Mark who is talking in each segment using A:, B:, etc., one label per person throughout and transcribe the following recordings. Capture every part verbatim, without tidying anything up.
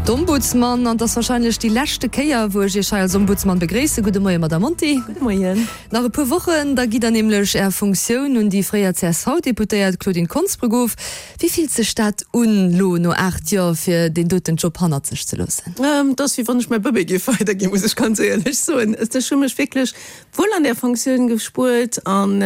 A: d'Ombudsman an et ass warscheinlech déi leschte Kéier, wou ech Iech hei als Ombudsman begréissen. Gudde Moien, Madamm Monti.
B: Gudde Moien.
A: Nach e puer Wochen, da gitt Der nämlech Är Funktioun un déi fréier C S V-Deputéiert Claudine Konsbruck of. Wéi fillt sech dat un, lo no aacht Joer, fir deen doten Job hannert sech ze loossen?
B: Et ass, wéi wann ech mäi Bëbee géif weiderginn, muss ech ganz éierlech soen. Ech hu mech wierklech wuel an där Funktioun gespuert an,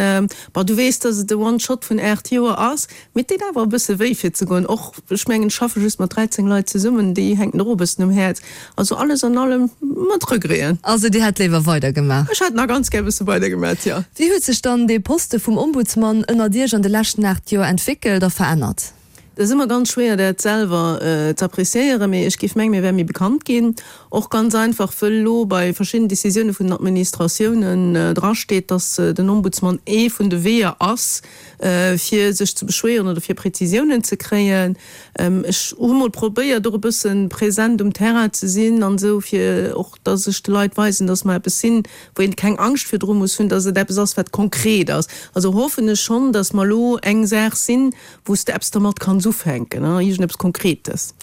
B: bon, du weess, dass et e One-Shot vun aacht Joer ass, mee et deet awer e bësse wéi fir ze goen. Och, ech mengen, ech schaffe just mat dräizéng Leit zesummen, déi hänken och e bëssen um Häerz. Also alles an allem mat Regreten.
A: Also Dir hätt léiwer weidergemaach?
B: Ech hätt nach ganz gär e bësse weidergemaach, jo.
A: Wéi huet sech dann dee Poste vum Ombudsman ënnert Iech an de leschten aacht Joer entwéckelt a verännert?
B: Et ass ëmmer ganz schwéier dat selwer z'appréciéieren, mee ech géif mengen, mir wäre méi bekannt ginn. Och ganz einfach, wëll elo bei verschiddenen Décisioune vun den Administratiounen drasteet, datt den Ombudsman ee vun de Weeër ass, fir sech ze beschwéieren oder fir Präzisiounen ze kréien. Ech hu mol probéiert, och e bësse present um Terrain ze sinn an esou, fir och, datt ech de Leit weisen, datt mer eppes sinn, wou een keng Angscht virdru muss hunn, datt et eppes ass, wat konkret ass. Also hoffen ech schonn, datt mer elo eng Saach sinn, wou s de eppes dermat kanns ufänken, iergendeppes Konkretes.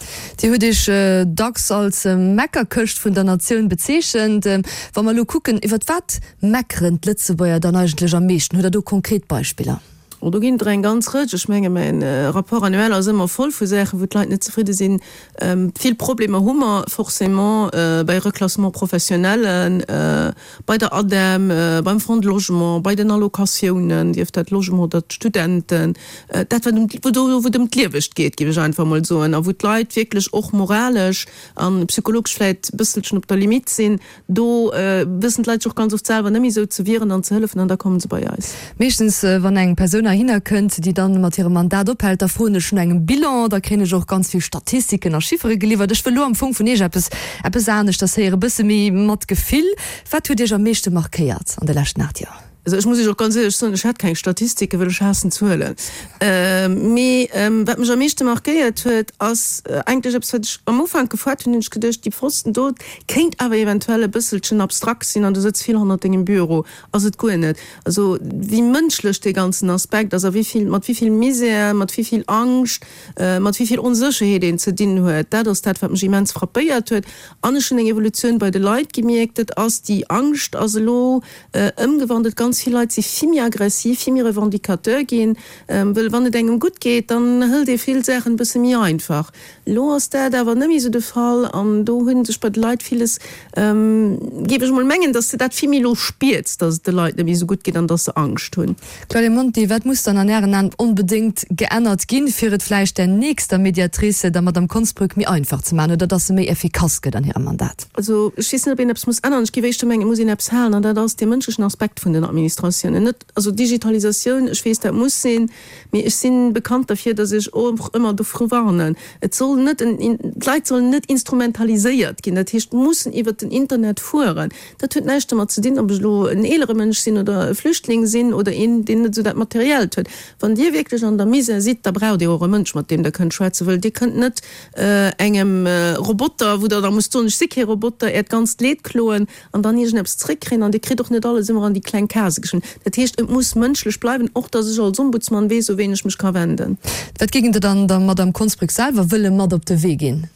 A: Dir hutt Iech dacks als Meckerkëscht vun der Natioun bezeechent. Wa mer elo kucken, iwwer wat meckeren d'Lëtzebuerger dann eigentlech am meeschten? Hutt Der do konkret Beispiller?
B: Oh, do ginn et der eng ganz Rëtsch. Ech menge mäin Rapport annuel ass ëmmer voll vu Saachen, wou d'Leit net zefridde sinn. Vill Problemer hu mer forcément bei Reclassement professionnellen, bei der ADEM, beim Fonds de Logement, bei den Allocatiounen, sief dat Logement oder d'Studenten, dat wat ëm, wou do wou et ëm d'Liewegt geet, géif ech einfach emol soen, a wou d'Leit wierklech och moralesch a psychologesch vläicht e bësselchen op der Limite sinn. Do wëssen d'Leit sech och ganz oft selwer net méi esou ze wieren an ze hëllefen an da komme se bei eis.
A: Meeschtens wann eng Persoun heihinner kënnt, déi dann mat hirem Mandat ophält, da froen ech no engem Bilan, da kréien ech och ganz vill Statistiken a Chiffere geliwwert. Ech wëll elo am Fong vun Iech eppes, eppes aneschters héieren, e bësse méi mat Gefill. Wat huet Iech am meeschte markéiert an de leschten aacht Joer?
B: Also ech muss Iech och ganz éierlech soen, ech hat keng Statistiken, well ech haassen Zuelen. Mee wat mech am meeschte markéiert huet, ass eigentlech eppes, wat ech am Ufank gefoart hunn, hunn ech geduecht, déi Posten do kéint awer eventuell e bësselchen abstrakt sinn an du sëtz vill hannert dengem Büro. Ass et guer net. Also wéi mënschlech dee ganzen Aspekt ass a wéi vill, mat wéi vill Misär, mat wéi vill Angscht, mat wéi vill Onsécherheet een ze dinn huet, dat ass dat, wat mech immens frappéiert huet. An ech hunn eng Evolutioun bei de Leit gemierkt, dat ass déi Angscht ass elo ëmgewandelt. Ganz vill Leit si vill méi aggressiv, vill méi revendicateur ginn, wëll wann et engem gutt geet, dann hëlt ee vill Saachen e bësse méi einfach. Elo ass dat awer net méi esou de Fall an do hu sech bei de Leit villes, géif ech mol mengen, datt s de dat vill méi elo spiers, datt et de Leit net méi esou gutt geet an datt se Angscht hunn.
A: Claudia Monti, wat muss dann an Ären Aen onbedéngt geännert ginn, fir et vläicht der nächster Mediatrice, der Madame Konsbrück, méi einfach ze maachen oder datt se méi effikass gëtt an hirem Mandat?
B: Also ech weess net, ob een eppes muss änneren. Ech géif éischter mengen, et muss een eppes halen, an dat ass dee mënschlechen Aspekt vun den Administratiounen. Net, also Digitalisatioun, ech weess, dat muss sinn, mee ech si bekannt derfir, datt ech och ëmmer dovru warnen, et soll net en, d'Leit sollen net instrumentaliséiert ginn, dat heescht, mussen iwwert den Internet fueren. Dat huet näischt domat ze dinn, ob ech elo en eelere Mënsch sinn oder e Flüchtling sinn oder een, deen net esou dat Materiellt huet. Wann Dir wierklech an der Misär sidd, da braucht Dir och e Mënsch, mat deem Der kënnt schwätzen, wëll Dir kënnt net engem Roboter, wou Der da musst soen, ech si kee Roboter, Äert ganzt Leed kloen an dann iergendeppes zréckkréien. An Dir kritt och net alles ëmmer an déi kleng Case geschriwwen. Dat heescht, et muss mënschlech bleiwen, och datt ech als Ombudsman weess, u ween ech mech ka wenden.
A: Wat géing Der dann der Madame Konsbrück selwer wëlle mat op de Wee ginn?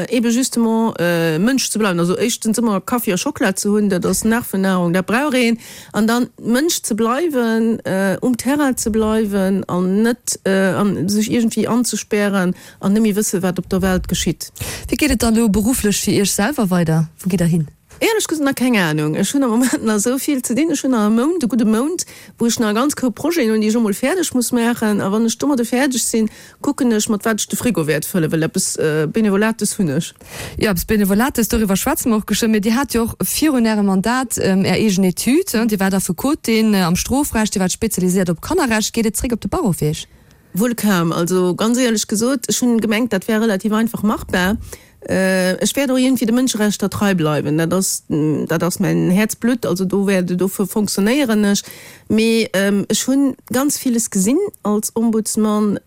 B: Ebe justement Mënsch ze bleiwen. Also éischtens ëmmer Kaffi a Schockela ze hunn, dat ass Nervennahrung, dat brauch een. An dann Mënsch ze bleiwen, um Terrain ze bleiwen an net sech iergendwéi anzespären an net méi wëssen, wat op der Welt geschitt.
A: Wéi geet et dann elo berufflech fir Iech selwer weider? Wou gitt Der hin?
B: Éierlech gesot nach keng Anung. Ech hunn am Moment nach esou vill ze dinn. Ech hunn nach e Mount, e gudde Mount, wou ech nach e ganz Koup Projeten hunn, déi ech emol fäerdeg muss maachen. A wann ech domadde fäerdeg sinn, kucken ech, mat wat ech de Frigo wäert fëllen, well eppes Benevolates hunn ech.
A: Jo, eppes Benevolates, doriwwer schwätze mer och geschwënn. Mee Dir hat jo och virun Ärem Mandat Är eegen Etüd. Dir waart Affekotin am Strofrecht, Dir waart spezialiséiert op Kannerrecht. Geet et zréck op de Barreau fir Iech?
B: Wuel kaum. Also ganz éierlech gesot, ech hunn gemengt, dat wär relativ einfach machbar. Ech wäert och iergendwéi de Mënscherechter trei bleiwen, dat ass, dat ass mäin Häerzblutt, also do wäert, dofir fonctionnéieren ech. Mee ech hu ganz villes gesinn als Ombudsman.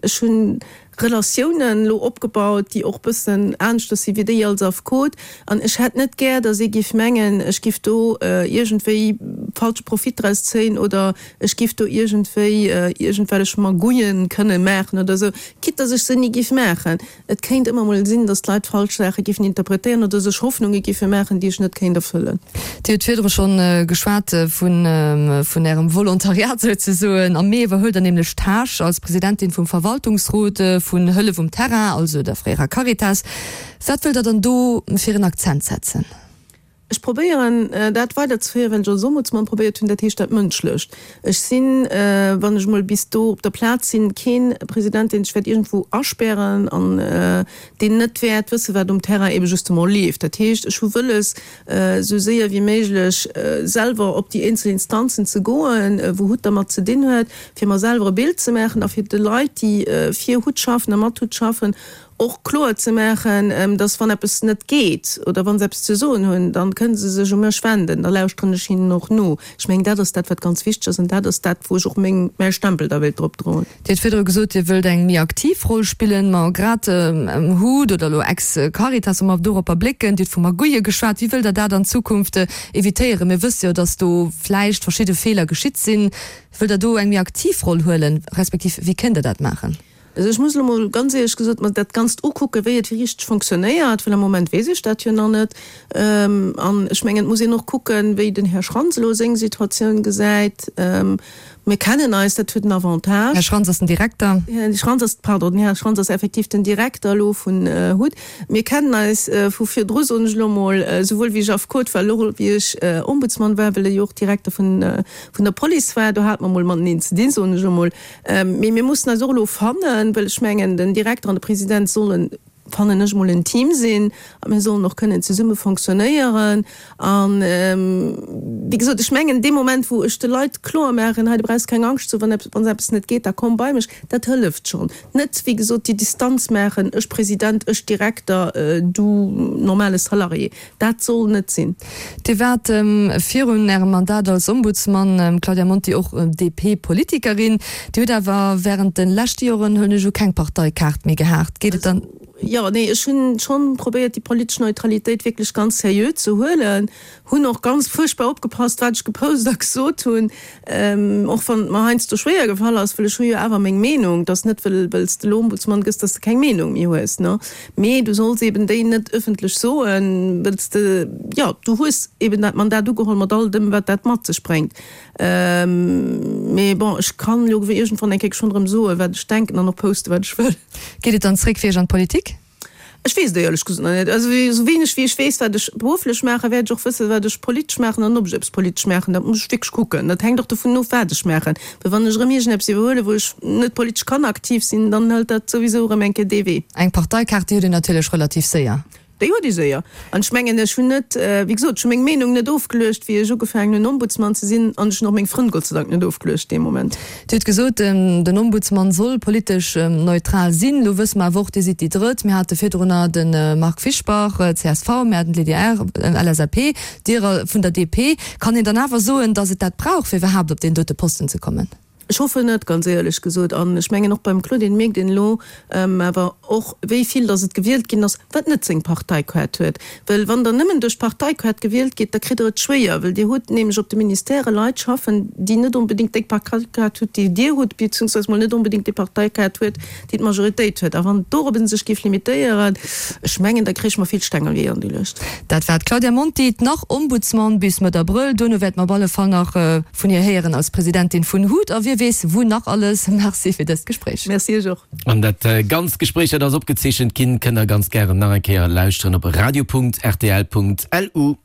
B: Ech hu Relatiounen elo opgebaut, déi och bëssen aneschters si wéi déi als Affekot. An ech hätt net gär, datt ee géif mengen, ech géif do iergendwéi falsche Profit draus zéien oder ech giff do iergendwéi iergendwellech Magouillen kënne maachen oder esou, quitte dass ech se ni giff maachen. Et kéint ëmmer mol sinn, dass d'Leit falsch Saache giffen interpretéieren oder sech Hoffnunge giffe maachen, déi ech net kéint erfëllen.
A: Dir hutt virdru schonn geschwat vun Ärem Volontariat souzesoen. Am Mee iwwerhuelt Der nämlech d'Tâche als Presidentin vum Verwaltungsrot vun Hëllef um Terrain, also der fréierer Caritas. Wat wëllt Der dann do fir en Akzent setzen?
B: Ech probéieren, dat weiderzeféieren, wat ech als Ombudsman probéiert hunn, dat heescht dat Mënschlecht. Ech sinn, wann ech emol bis do op der Plaz sinn, kee President, deen sech wäert iergendwou aspären an deen net wäert wëssen, wat um Terrain ebe justement leeft. Dat heescht, ech hu wëlles, esou séier wéi méiglech selwer op déi eenzel Instanzen ze goen, wou hut dermat ze dinn huet, fir mer selwer e Bild ze maachen a fir de Leit, déi fir hut schaffen a mat hut schaffen, och kloer ze maachen, dass wann eppes net geet oder wa se eppes ze soen hunn, da kënne se sech u mech wenden, da lauschteren ech hinnen och no. Ech mengen, dat ass dat, wat ganz wichteg ass an dat ass dat, wou ech och meng, mäi Stempel da wéilt drop droen.
A: Dir hutt virdru gesot, Dir wëllt eng méi aktiv Roll spillen. Ma grad hut oder elo ex-Caritas, wa mer doropper blécken, Dir hutt vu Magouille geschwat, wéi wëllt Der dat an Zukunft evitéieren? Mir wësse jo, dass do vläicht verschidde Feeler geschitt sinn. Wëllt Der do eng méi aktiv Roll huelen, respektiv wéi kënnt Der dat maachen?
B: Also ech muss elo mol ganz éierlech gesot mer dat Ganzt ukucken, wéi et richteg fonctionnéiert, well am Moment weess ech dat jo nach net. An ech mengen, et muss een och kucken, wéi den Här Schrantz elo seng Situatioun gesäit. Mir kennen eis, dat huet en Avantage.
A: Här Schrantz ass den Direkter.
B: Här Schrantz ass, pardon, den Här Schrantz ass effektiv den Direkter elo vun hut. Mir kennen eis vu virdru, soen ech elo mol, souwuel wéi ech Affekot war, elo wéi ech Ombudsman war, well e jo och Direkter vun der Police war. Do hate mer mol mateneen ze dinn, soen ech elo mol. Mee mir mussen eis och elo fannen, well ech mengen, den Direkter an de President sollen, fannen ech mol, en Team sinn a mir sollen och kënnen zesumme fonctionnéieren. An, wéi gesot, ech mengen, dee Moment, wou ech de Leit kloer maachen, hei, du brauchs keng Angscht ze hunn, wann eppes, wann eppes net geet, da komm bei mech, dat hëlleft schonn. Net, wéi gesot, déi Distanz maachen, ech President, ech Direkter, du normale Salarié. Dat soll net sinn.
A: Dir waart virun Ärem Mandat als Ombudsman, Claudia Monti, och D P-Politikerin. Dir hutt awer wärend de leschte Joren, huelen ech u, keng Parteikaart méi gehat. Geet et dann.
B: Jo, nee, ech hunn schonn probéiert, déi politesch Neutralitéit wierklech ganz seriö ze huelen. Hunn och ganz fuerchtbar opgepasst, wat ech gepost a gesot hunn, och wann et mer heiansdo schwéier gefall ass, well ech hu jo awer meng Meenung. Et ass net, well well s de elo Ombudsman gëss, dass de keng Meenung méi hues, ne? Mee du solls eben déi net ëffentlech soen, well s de, jo, du hues eben dat Mandat ugeholl mat all dem, wat dat mat sech bréngt. Mee bon, ech kann elo iergendwann eng Kéier schonn erëm soen, wat ech denken an och posten, wat ech wëll.
A: Geet et dann zréck fir Iech an d'Politik?
B: Ech weess et éierlech gesot nach net. Also esou wéineg wéi ech weess, wat ech berufflech maachen, wäert ech och wëssen, wat ech politesch maachen an ob ech eppes politesch maachen. Dat muss ech wierklech kucken. Dat hänkt och dovun of, wat ech maachen. Well wann ech erëm iergendeppes iwwerhuelen, wou ech net politesch kann aktiv sinn, dann hëlt dat souwisou erëm eng Kéier dee Wee.
A: Eng Parteikaart, déi huet een natierlech relativ séier.
B: Déi huet ee séier. An ech mengen, ech hunn net, wéi gesot, ech hu meng Meenung net ofgeluecht, wéi ech ugefaangen hunn, Ombudsman ze sinn, an ech hunn och meng Frënn Gott sei Dank net ofgeluecht dee Moment.
A: Dir hutt gesot, den Ombudsman soll politesch neutral sinn. Elo wësse mer awer och, Dir sidd déi Drëtt. Mir hate virdrunner de Marc Fischbach, C S V, mir haten d'Lydie Err, L S A P, Dir vun der D P. Kann een dann awer soen, datt et dat brauch, fir iwwerhaapt op deen dote Posten ze kommen?
B: Ech hoffen net, ganz éierlech gesot. An ech mengen och beim Claudine mierkt een elo awer och, wéi vill datt et gewielt ginn ass, wat net seng Parteikaart huet. Well wann Der nëmmen duerch d'Parteikaart gewielt gitt, da kritt Der et schwéier, well Dir hutt nämlech op de Ministèrë Leit schaffen, déi net onbedéngt déi Parteikaart hutt, déi Dir hutt, beziehungsweise mol net onbedéngt déi Parteikaart huet, déi d'Majoritéit huet. A wann et dorobben sech géif limitéieren, ech mengen, da kréich mer vill Steng an Weeër geluecht.
A: Dat war d'Claudia Monti, d'Nach-Ombudsman bis Mëtt Abrëll. Duerno wäerte mer op alle Fall nach vun hir héieren als Presidentin vun hut a wie weess wou nach alles. Merci fir dëst Gespréich.
B: Merci iech och.
C: An dat ganzt Gespréich, dat ass opgezeechent ginn, kënnt der ganz gären nach eng Kéier lauschteren op radio Punkt rtl Punkt lu.